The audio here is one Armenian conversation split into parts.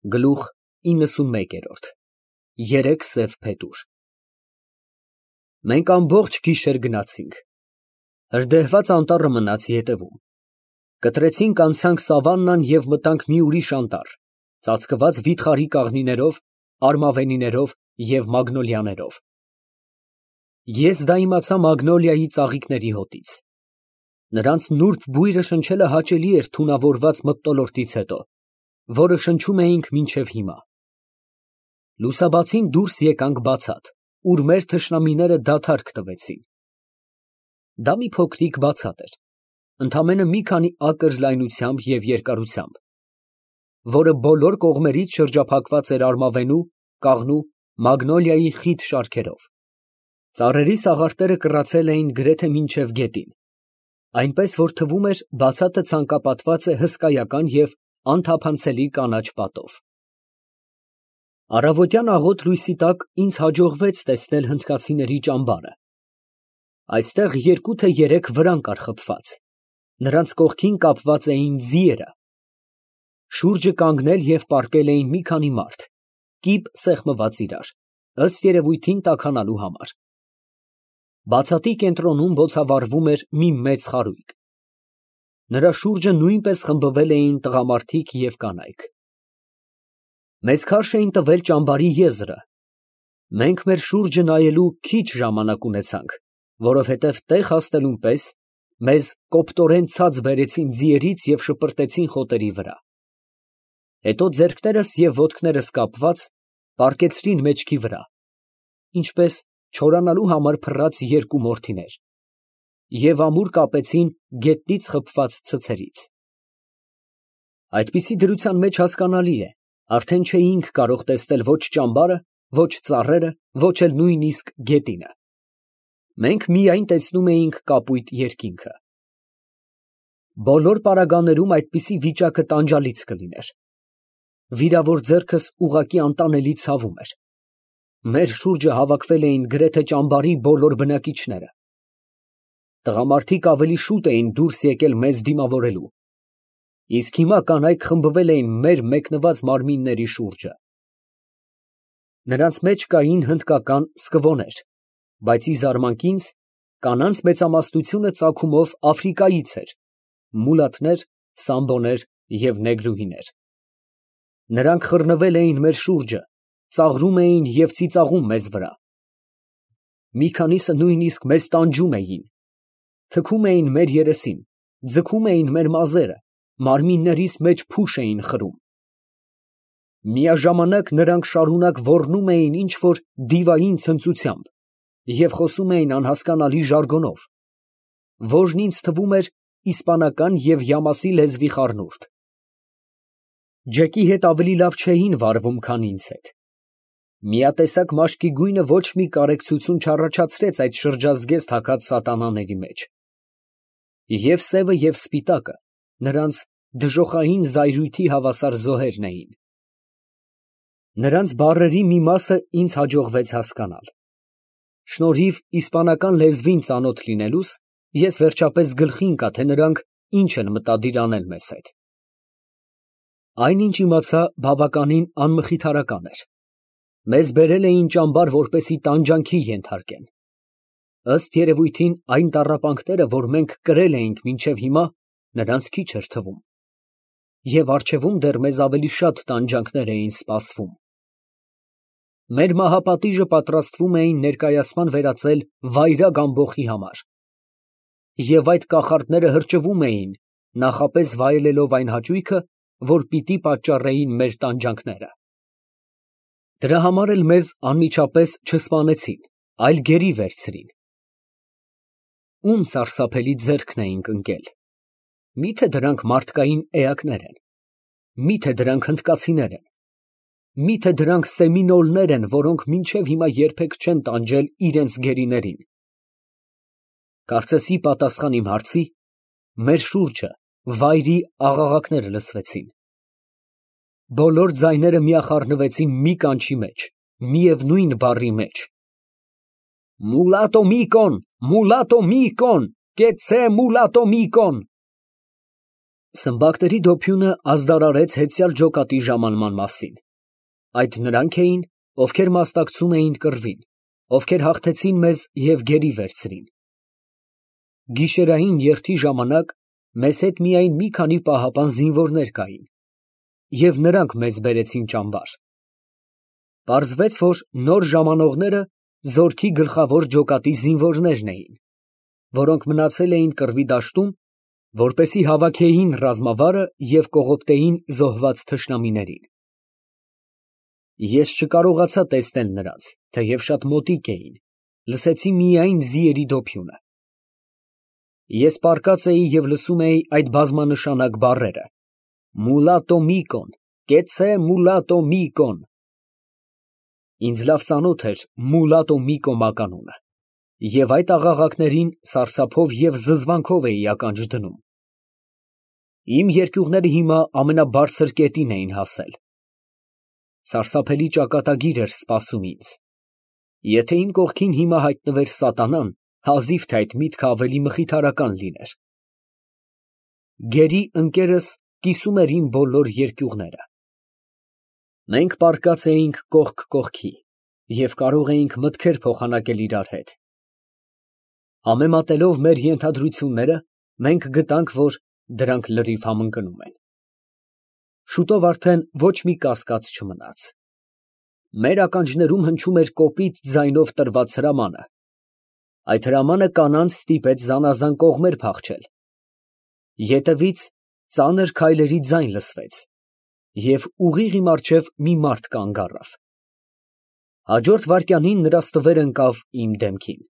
Գլուխ 91 Երեք սև փետուր Մենք ամբողջ գիշեր գնացինք, հրդեհված անտառը մնաց ետևում, կտրեցինք անցանք սավաննան և մտանք մի ուրիշ անտառ, ծածկված վիթխարի կաղնիներով, արմավենիներով և մագնոլիաներով։ Ես դա իմացա մագնոլիայի ծաղիկների հոտից։ Նրանց նուրբ բույրը շնչելը հաճելի էր թունավորված մթնոլորտից հետո, որը շնչում էինք մինչև հիմա։ Լուսաբացին դուրս եկանք բացատ, ուր մեր թշնամիները դադարք տվեցին։ Դա մի փոքրիկ բացատ էր, ընդամենը մի քանի ակր լայնությամբ և երկարությամբ, որը բոլոր կողմերից շրջափակված էր արմավենու, կաղնու, մագնոլիայի խիտ շարքերով։ Ծառերի սաղարթերը կռացել էին գրեթե մինչև գետին, այնպես որ թվում էր բացատը ցանկապատված է հսկայական և անթափանցելի կանաչ պատով։ Առավոտյան աղոտ լույսի տակ ինձ հաջողվեց տեսնել հնդկացիների ճամբարը։ Այստեղ 2 թե 3 վրան կար խփված, նրանց կողքին կապված էին ձիերը։ Շուրջը կանգնել և պառկել էին մի քանի մարդ, կիպ սեղմված իրար, ըստ երևույթին տաքանալու համար։ Բացատի կենտրոնում բոցավառվում էր մի մեծ խարույկ։ Նրա շուրջը նույնպես խմբվել էին տղամարդիկ և կանայք։ Մեզ քարշ էին տվել ճամբարի եզրը։ Մենք մեր շուրջը նայելու քիչ ժամանակ ունեցանք, որովհետև տեղ հասնելուն պես մեզ կոպտորեն ցած բերեցին ձիերից և շպրտեցին խոտերի վրա։ Հետո ձեռքներս և ոտքներս կապված, պառկեցրին մեջքի վրա, ինչպես չորանալու համար փռած 2 մորթիներ, և ամուր կապեցին գետնից խփված ցցերից։ Այդպիսի դրության մեջ հասկանալի է, արդեն չէինք կարող տեսնել ոչ ճամբարը, ոչ ծառերը, ոչ էլ նույնիսկ գետինը։ Մենք միայն տեսնում էինք կապույտ երկինքը։ Բոլոր պարագաներում այդպիսի վիճակը տանջալից կլիներ։ Վիրավոր ձեռքս ուղղակի անտանելի ցավում էր։ Մեր շուրջը հավաքվել էին գրեթե ճամբարի բոլոր բնակիչները։ Տղամարդիկ ավելի շուտ էին դուրս եկել մեզ դիմավորելու, իսկ հիմա կանայք խմբվել էին մեր մեկնված մարմինների շուրջը։ Նրանց մեջ կային հնդկական սկվոներ, բայց ի զարմանք ինձ, կանանց մեծամասնությունը ծագումով Աֆրիկայից էր, մուլաթներ, սամբոներ և նեգրուհիներ։ Նրանք խռնվել էին մեր շուրջը, ծաղրում էին և ծիծաղում մեզ վրա։ Մի քանիսը նույնիսկ մեզ տանջում էին, թքում էին մեր երեսին, ձգում էին մեր մազերը, մարմիններիս մեջ փուշ էին խրում։ Միաժամանակ նրանք շարունակ ոռնում էին ինչ֊որ դիվային ցնծությամբ և խոսում էին անհասկանալի ժարգոնով, որն ինձ թվում էր իսպանական և յամասի լեզվի խառնուրդ։ Ջեկի հետ ավելի լավ չէին վարվում, քան ինձ հետ։ Միատեսակ մաշկի գույնը ոչ մի կարեկցություն չառաջացրեց այդ շրջազգեստ հագած սատանաների մեջ։ Եվ սևը, և սպիտակը նրանց դժոխային զայրույթի հավասար զոհերն էին։ Նրանց բառերի մի մասը ինձ հաջողվեց հասկանալ։ Շնորհիվ իսպանական լեզվին ծանոթ լինելուս, ես վերջապես գլխի ընկա, թե նրանք ինչ են մտադիր անել մեզ հետ։ Այն, ինչ իմացա, բավականին անմխիթարական էր։ Մեզ բերել էին ճամբար, որպեսզի տանջանքի ենթարկեն։ Ըստ երևույթին, այն տառապանքները, որ մենք կրել էինք մինչև հիմա, նրանց քիչ էր թվում։ Եվ առջևում դեռ մեզ ավելի շատ տանջանքներ էին սպասվում։ Մեր մահապատիժը պատրաստվում էին ներկայացման վերածել վայրագ ամբոխի համար։ Եվ այդ կախարդները հրճվում էին, նախապես վայելելով այն հաճույքը, որ պիտի պատճառեին մեր տանջանքները։ Դրա համար էլ մեզ անմիջապես չսպանեցին, այլ գերի վերցրին։ Ում սարսափելի ձեռքն էինք ընկել։ Մի՞թե դրանք մարդկային էակներ են։ Մի՞թե դրանք հնդկացիներ են։ Մի՞թե դրանք սեմինոլներ են, որոնք մինչև հիմա երբեք չեն տանջել իրենց գերիներին։ Կարծես ի պատասխան իմ հարցի, մեր շուրջը վայրի աղաղակները լսվեցին։ Բոլոր ձայները միախառնվեցին մի կանչի մեջ, միևնույն բառի մեջ. Մուլատո միկոն, կեցցե մուլատո միկոն։ Սմբակների դոփյունը ազդարարեց հեծյալ ջոկատի ժամանման մասին. այդ նրանք էին, ովքեր մասնակցում էին կռվին, ովքեր հաղթեցին մեզ և գերի վերցրին։ Գիշերային երթի ժամանակ մեզ հետ միայն մի քանի պահապան զինվորներ կային, և նրանք մեզ բերեցին ճամբար։ Պարզվեց, որ նոր ժամանողները զորքի գլխավոր ջոկատի զինվորներն էին, որոնք մնացել էին կռվի դաշտում, որպեսզի հավաքեին ռազմավարը և կողոպտեին զոհված թշնամիներին։ Ես չկարողացա տեսնել նրանց, թեև շատ մոտիկ էին, լսեցի միայն ձիերի դոփյունը։ Ես պառկած էի և լսում էի այդ բազմանշանակ բառերը. «Մուլատո Միկոն, կեցցե Մուլատո Միկոն»։ Ինձ լավ ծանոթ էր Մուլատո Միկո մականունը, և այդ աղաղակներին սարսափով և զզվանքով էի ականջ դնում։ Իմ երկյուղները հիմա ամենաբարձր կետին էին հասել։ Սարսափելի ճակատագիր էր սպասում ինձ։ Եթե իմ կողքին հիմա հայտնվեր սատանան, հազիվ թե այդ միտքը ավելի մխիթարական լիներ։ Գերի ընկերս կիսում էր իմ բոլոր երկյուղները։ Մենք պառկած էինք կողք կողքի և կարող էինք մտքեր փոխանակել իրար հետ։ Համեմատելով մեր ենթադրությունները, մենք գտանք, որ դրանք լրիվ համընկնում են։ Շուտով արդեն ոչ մի կասկած չմնաց։ Մեր ականջներում հնչում էր կոպիտ ձայնով տրված հրամանը։ Այդ հրամանը կանանց ստիպեց զանազան կողմեր փախչել։ Ետևից ծանր քայլերի ձայն լսվեց, և ուղիղ իմ առջև մի մարդ կանգ առավ։ Հաջորդ վայրկյանին նրա ստվերն ընկավ իմ դեմքին։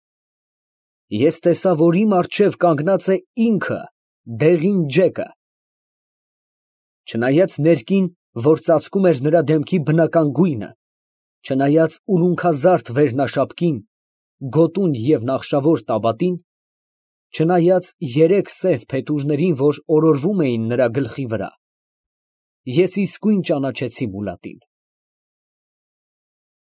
Ես տեսա, որ իմ առջև կանգնած է ինքը, դեղին Ջեկը։ Չնայած ներկին, որ ծածկում էր նրա դեմքի բնական գույնը, չնայած ուլունքազարդ վերնաշապկին, գոտուն և նախշավոր տաբատին, չնայած երեք սև փետուրներին, որ օրորվում էին նրա գլխի վրա, ես իսկույն ճանաչեցի մուլատին։